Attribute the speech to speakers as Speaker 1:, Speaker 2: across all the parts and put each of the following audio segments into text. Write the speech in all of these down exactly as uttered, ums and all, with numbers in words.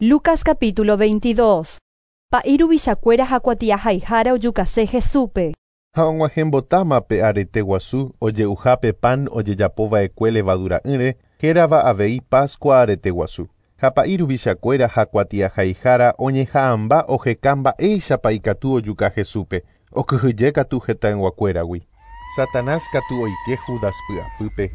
Speaker 1: Lucas capítulo veintidós. Pa'i ruvichakuéra ha kuatiahaihara ojukase Jesúspe.
Speaker 2: Ha og̃uahẽmbotáma pe arete guasu oje'uhápe pan ojejapova'ekue levadura'ỹre hérava avei Pascua arete guasu. Ha pa'i ruvichakuéra ha kuatiahaihara oñeha'ãmba oheka mba'éichapa ikatu ojuka Jesúspe, okyhyje katu hetãyguakuéragui. Satanás katu oike Judas py'apýpe,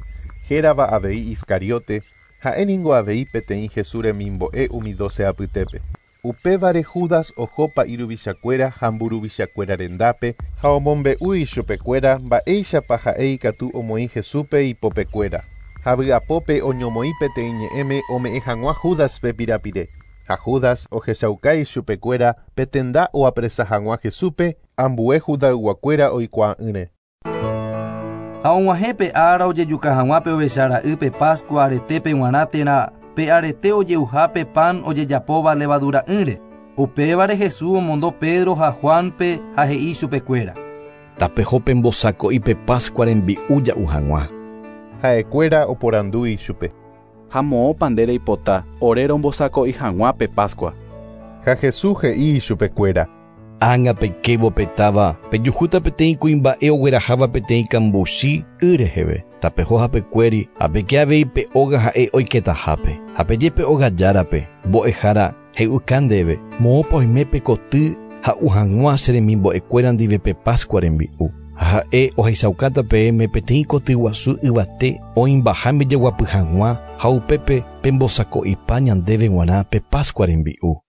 Speaker 2: hérava avei Iscariote, ha'éningo avei peteĩ Jesús remimbo'e umi doce apytépe. Upévare Judas oho pa'i ruvichakuéra ha mburuvichakuéra rendápe ha omombe'u ichupekuéra mba'éichapa ha'e ikatu omoĩ Jesúspe ipopekuéra. Ha vy'apópe oñomoĩ peteĩ ñe'ẽme ome'ẽ hag̃ua Judaspe pirapire. Ha Judas ohechauka ichupekuéra pe tenda oapresa hag̃ua Jesúspe ambue Judayguakuéra oikuaa'ỹre.
Speaker 3: Ha og̃uahẽ ára ojejuka hag̃ua pe ovechara'ýpe Pascua aretépe g̃uarã térã pe arete ojeuhápe pan ojejapóva levadura'ỹre. Upévare Jesús omondo Pedro ha Juanpe ha he'i chupekuéra.
Speaker 4: Tapeho pembosako'i pe Pascua rembi'u ja'u hag̃ua.
Speaker 2: Ha'ekuéra oporandu ichupe.
Speaker 5: Ha moõpa nde reipota ore rombosako'i hag̃ua pe Pascua.
Speaker 2: Ha Jesús he'i ichupekuéra.
Speaker 4: Ág̃a peikévo petáva pejuhúta peteĩ kuimba'e ogueraháva peteĩ kambuchi y reheve. Tapeho hapekuéri ha peke avei pe óga ha'e oiketahápe. Ha peje pe óga járape mbo'ehára he'uka ndéve moõpa oime pe koty ha'u hag̃ua che remimbo'ekuéra ndive pe Pascua rembi'u. Ha ha'e ohechaukáta peẽme peteĩ koty guasu yvate oĩmbaháme jeguapy hag̃ua ha upépe pembosako'ipa ñandéve g̃uarã pe Pascua rembi'u.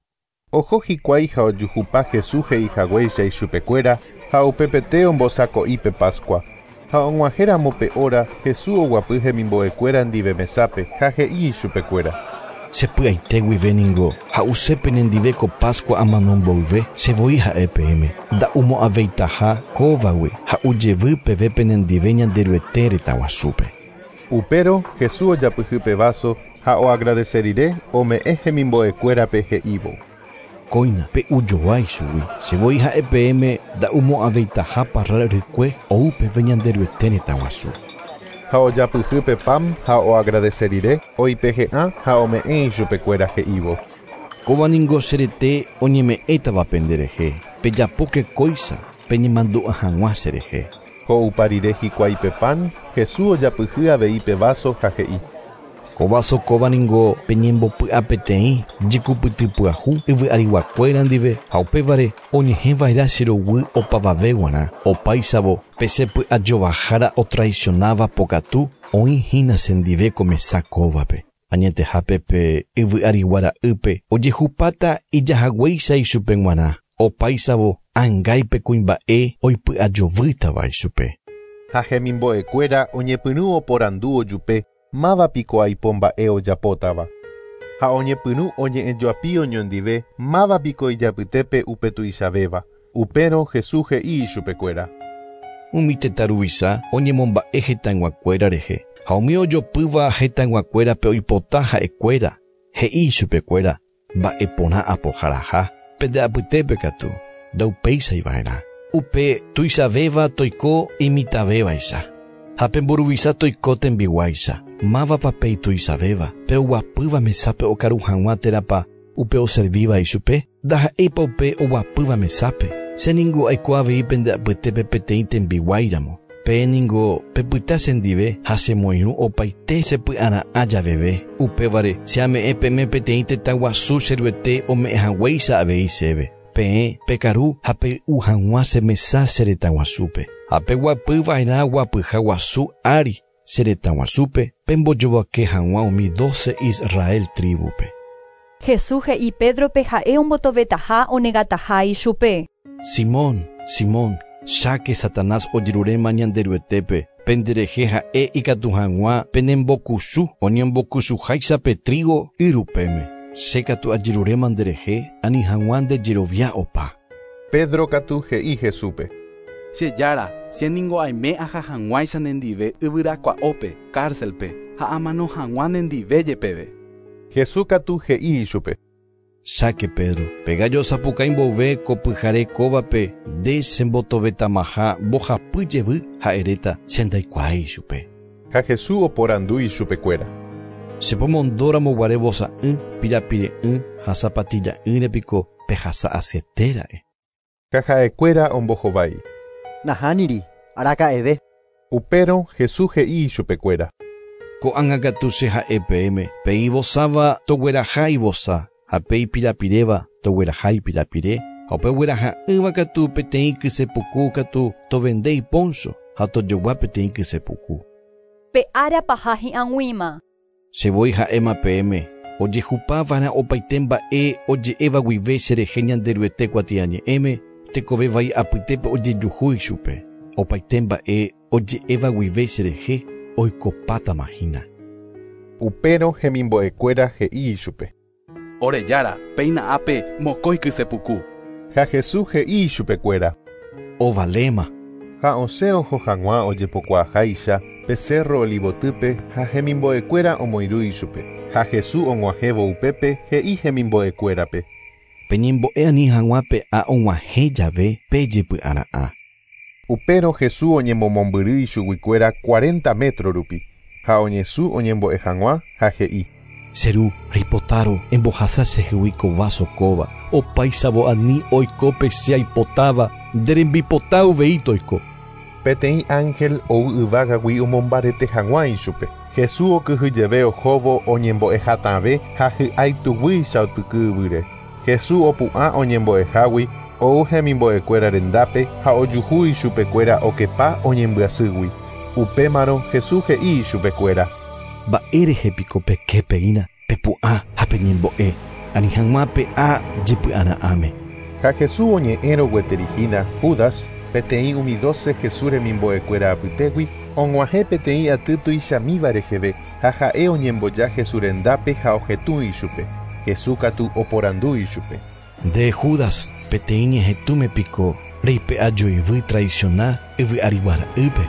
Speaker 2: Oho hikuái ha ojuhupa Jesús he'ihaguéicha ichupekuéra ha upepete ombosako'i pe Pascua. Ha og̃uahẽramo pe hora Jesús oguapy hemimbo'ekuéra ndive mesápe ha he'i ichupekuéra.
Speaker 4: Chepy'aite guive ningo ha'use penendive ko Pascua amano mboyve chevoi ha'e peẽme nda'umo'ãveitaha kóvagui ha'ujevy peve penendive Ñanderuete retã guasúpe.
Speaker 2: Upérõ Jesús ojapyhy pe vaso ha oagradece rire ome'ẽ hemimbo'ekuérape he'ívo.
Speaker 4: Kóina pe'ujoa ichugui chevoi ha'e peẽme nda'umo'ãveitaha parral rykue ou peve Ñanderuete retã guasu.
Speaker 2: Ha ojapyhy pe pan ha oagradece rire oipehe'ã ha ome'ẽ ichupekuéra he'ívo.
Speaker 4: Kóva ningo che rete oñeme'ẽtava penderehe pejapóke kóicha peñemandu'a hag̃ua cherehe.
Speaker 2: Ho'upa rire hikuái pe pan, Jesús ojapyhy avei pe vaso ha he'i.
Speaker 4: Ko vaso kóva ningo peñembopy'a peteĩ jekupytypyahu yvy'ariguakuéra ndive ha upévare oñehẽva'erã che roguy opavave g̃uarã opáichavo pe che py'ajovahára otraicionáva pokatu oĩhína chendive ko mesa kóvape. Añetehápe pe yvy'ariguara'ýpe ojehupáta ijahaguéicha ichupe g̃uarã opáichavo ãngáipe kuimba'e oipy'ajovýtava ichupe.
Speaker 2: Ha hemimbo'ekuéra oñepyrũ oporandu ojupe máva piko aipo mba'e ojapótava. Ha oñepyrũ oñe'ẽjoapi oñondive máva piko ijapytépe upe tuichavéva. Upérõ Jesús he'i ichupekuéra.
Speaker 4: Umi tetã ruvicha oñemomba'e hetãyguakuéra rehe ha umi ojopýva hetãyguakuérape oipota ha'ekuéra he'i ichupekuéra mba'eporã apoharaha pende apytépe katu ndaupeichaiva'erã. Upe tuichavéva toiko imitãvévaicha ha pe mburuvicha toiko tembiguáicha. Mávapa pe ituichavéva pe oguapýva mesápe okaru hag̃ua térãpa upe oservíva ichupe ndaha'éipa upe oguapýva mesápe. Che ningo aiko avei pende apytépe peteĩ tembiguáiramo. Pe ningo pepyta chendive ha chemoirũ opaite chepy'ara'ã javeve. Upévare che ame'ẽ peẽme peteĩ tetã guasu che Ruete ome'ẽ haguéicha avei chéve. Peẽ pekaru ha pey'u hag̃ua che mesa che retã guasúpe. Ha peguapyva'erã guapyha guasu ári che retã guasúpe pembojovake hag̃ua umi doce Israel tribupe.
Speaker 1: Jesús he'i Pedrope ha'e ombotovetaha onegataha ichupe.
Speaker 4: Simón, Simón, cháke Satanás ojeruréma Ñanderuetépe penderehe ha'e ikatu hag̃ua penembokusu oñembokusuháicha pe trigo yrupéme. Che katu ajeruréma nderehe ani hag̃ua ndejerovia opa.
Speaker 2: Pedro katu he'i Jesúspe.
Speaker 5: Che jára, che ningo aime aha hag̃uáicha nendive yvyrakua'ópe, cárcelpe, ha amano hag̃ua nendive jepeve.
Speaker 2: Jesús katu he'i ichupe.
Speaker 4: Cháke Pedro, pe gallo osapukái mbove ko pyhare kóvape nde chembotovetamaha mbohapy jevy ha eréta che ndaikuaái ichupe.
Speaker 2: Ha Jesús oporandu ichupekuéra.
Speaker 4: Chepomondóramo guare vosa'ỹ pirapire'ỹ ha zapatilla'ỹre piko pehasa asyetera'e.
Speaker 2: Ha ha'ekuéra ombohovái.
Speaker 6: Nahániri, araka'eve.
Speaker 2: Upérõ Jesús he'i ichupekuéra.
Speaker 4: Ko'ág̃a katu che ha'e peẽme, pe ivosáva togueraha ivosa ha pe ipirapiréva togueraha ipirapire ha upe ogueraha'ỹva katu peteĩ kysepuku katu tovende ipóncho ha tojogua peteĩ kysepuku.
Speaker 1: Pe ára paha hi'ag̃uíma.
Speaker 4: Che voi ha'éma peẽme, ojehupava'erã opaite mba'e oje'éva guive cherehe Ñanderuete kuatiañe'ẽme, tekove vai apytépe ojejuhu ichupe. Opaite mba'e oje'éva guive cherehe oikopátama hína.
Speaker 2: Upérõ hemimbo'ekuéra he'i ichupe.
Speaker 5: Ore jára, péina ápe mokõi kysepuku.
Speaker 2: Ha Jesús he'i ichupekuéra.
Speaker 4: Ovaléma.
Speaker 2: Ha osẽ oho hag̃ua ojepokuaaháicha pe cerro Olivotýpe ha hemimbo'ekuéra omoirũ ichupe. Ha Jesús og̃uahẽvo upépe he'i hemimbo'ekuérape.
Speaker 4: Peñembo'e ani hag̃ua pe'a og̃uahẽ jave pejepy'ara'ã.
Speaker 2: Upérõ Jesús oñemomombyry ichuguikuéra cuarenta metro rupi ha oñesũ oñembo'e hag̃ua ha he'i.
Speaker 4: Che ru, reipotárõ embohasa chehegui ko vaso kóva, opáichavo ani oiko pe che aipotáva, nde rembipota uvei toiko.
Speaker 2: Peteĩ ángel ou yvágagui omombarete hag̃ua ichupe. Jesús okyhyjeve ohóvo oñembo'ehatãve ha hy'aituguýicha otyky yvýre. Jesús opu'ã oñembo'ehágui ou hemimbo'ekuéra rendápe ha ojuhu ichupekuéra okepa oñembyasýgui. Upémarõ Jesús he'i ichupekuéra.
Speaker 4: Mba'érehe piko peképeína pepu'ã ha peñembo'e, ani hag̃ua pe'a jepy'ara'ãme.
Speaker 2: Ha Jesús oñe'ẽrõ gueteri hína Judas, peteĩ umi doce Jesús remimbo'ekuéra apytégui, og̃uahẽ peteĩ aty tuichamíva reheve ha ha'e oñemboja Jesús rendápe ha ohetũ ichupe. Jesús katu oporandu ichupe.
Speaker 4: Nde Judas, peteĩ ñehetũme piko reipe'a joyvy traiciona yvy ariguara'ýpe.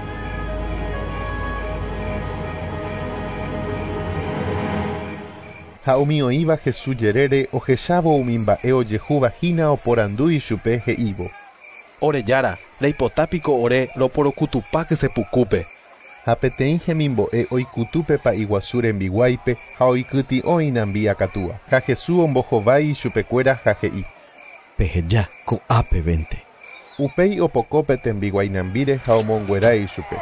Speaker 2: Ha umi oĩva Jesús jerére ohechávo umi mba'e ojehúva hína oporandu ichupe he'ívo.
Speaker 5: Ore jára, reipota piko ore roporokutupa kysepukúpe.
Speaker 2: Ha peteĩ hemimbo'e oikutu pa'i guasu rembiguáipe ha oikytĩ'o inambi akatúa. Ha Jesús ombohovái ichupekuéra ha he'i.
Speaker 4: Peheja ko'ápevente.
Speaker 2: Upéi opoko pe tembiguái nambíre ha omonguera ichupe.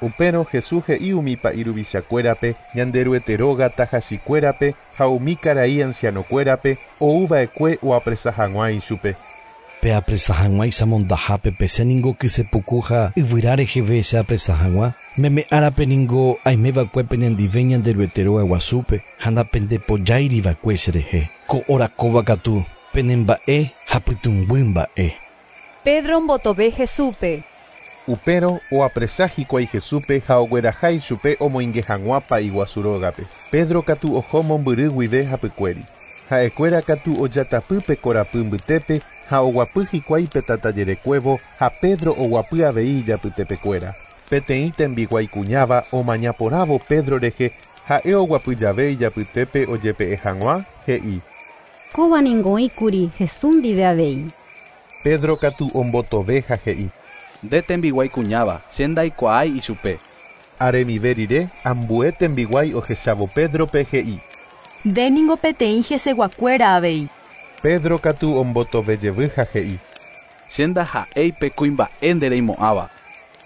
Speaker 2: Upérõ Jesús he'i umi pa'i ruvichakuérape, Ñanderuete róga tahachikuérape ha umi karai ancianokuérape ouva'ekue oapresa hag̃ua ichupe.
Speaker 4: Peapresa hag̃uáicha mondahápe pese ningo kysepuku ha yvyra reheve che apresa hag̃ua, meme árape ningo aimeva'ekue penendive Ñanderuete róga guasúpe ha ndapendepojáiriva'ekue cherehe. Ko hora kóva katu penemba'e ha pytũnguy mba'e.
Speaker 1: Pedro ombotove Jesúspe.
Speaker 2: Upérõ oapresa hikuái Jesúspe ha ogueraha ichupe omoinge hag̃ua pa'i guasu rógape. Pedro katu oho mombyry guive hapykuéri. Ha'ekuéra katu ojatapy pe korapy mbytépe ha oguapy hikuái pe tatajerekuévo ha Pedro oguapy avei ijapytepekuéra. Peteĩ tembiguái kuñáva omañaporãvo Pedro rehe ha'e oguapy jave ijapytépe ojepe'e hag̃ua he'i.
Speaker 7: Kóva ningo oĩkuri Jesús ndive avei.
Speaker 2: Pedro katu ombotove ha he'i.
Speaker 5: Nde tembiguái kuñáva, che ndaikuaái ichupe.
Speaker 2: Aremive rire, ambue tembiguái ohechávo Pedrope he'i.
Speaker 8: Nde ningo peteĩ heseguakuéra avei.
Speaker 2: Pedro katu ombotovejevy ha he'i.
Speaker 5: Che ndaha'éi pe kuimba'e ndereimo'ãva.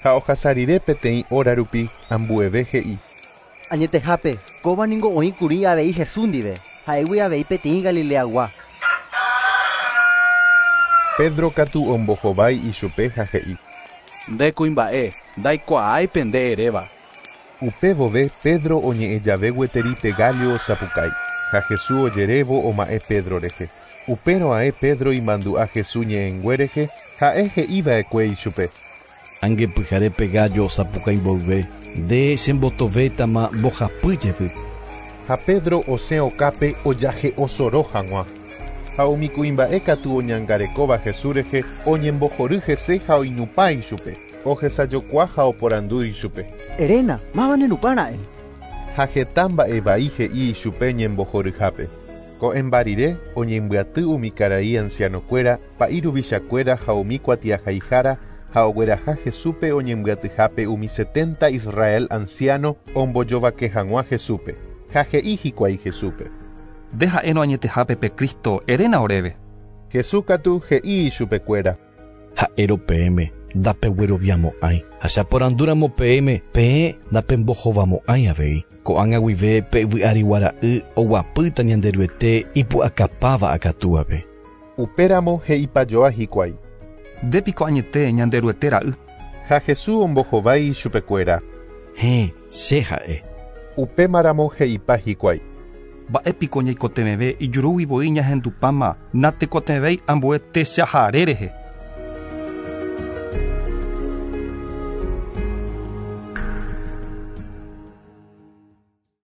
Speaker 2: Ha ohasa rire peteĩ hora rupi ambueve he'i.
Speaker 6: Añetehápe, kóva ningo oĩkuri avei Jesús ndive, ha'égui avei peteĩ Galileagua.
Speaker 2: Pedro katu ombohovái ichupe ha he'i.
Speaker 5: Nde kuimba'e, ndaikuaái pe nde eréva.
Speaker 2: Upe vove Pedro oñe'ẽ jave gueteri pe gallo osapukái. Ha Jesús ojerévo oma'ẽ Pedro rehe. Upérõ ae Pedro imandu'a Jesús ñe'ẽngue rehe ha'e he'iva'ekue ichupe.
Speaker 4: Angepyhare pe gallo osapukái mboyve, nde chembotovétama mbohapy jevy.
Speaker 2: Ha Pedro osẽ okápe ojahe'osoro hag̃ua. Ha umi kuimba'e katu oñangarekóva Jesús rehe oñembohory hese ha oinupã ichupe. Ohesajokua ha oporandu ichupe.
Speaker 6: Eréna, máva nenupãra'e.
Speaker 2: Ha heta mba'e vai he'i ichupe ñembohoryhápe. Ko'ẽmba rire oñembyaty umi karai ancianokuéra, pa'i ruvichakuéra ha umi kuatiahaihára ha ogueraha Jesúspe oñembyatyhápe umi setenta Israel anciano ombojovake hag̃ua Jesúspe. Ha he'i hikuái Jesúspe.
Speaker 9: Nde ha'érõ añetehápe pe Cristo eréna oréve.
Speaker 2: Jesús katu he'i ichupekuéra.
Speaker 4: Ha'érõ peẽme ndapegueroviamo'ãi. Ha che aporandúramo peẽme peẽ ndapembohovamo'ãi avei. Ko'ág̃a guive pe yvy arigua ra'y oguapýta Ñanderuete ipu'akapáva akatúape.
Speaker 2: Upéramo he'ipajoa hikuái.
Speaker 9: Ndépiko añete Ñanderuete ra'y.
Speaker 2: Ha Jesús ombohovái ichupekuéra.
Speaker 4: Héẽ, che ha'e.
Speaker 2: Upémaramo he'ipa hikuái.
Speaker 9: Mba'épiko ñaikotevẽve ijurúgui voi ñahendupáma natekotevẽi ambue techahare rehe.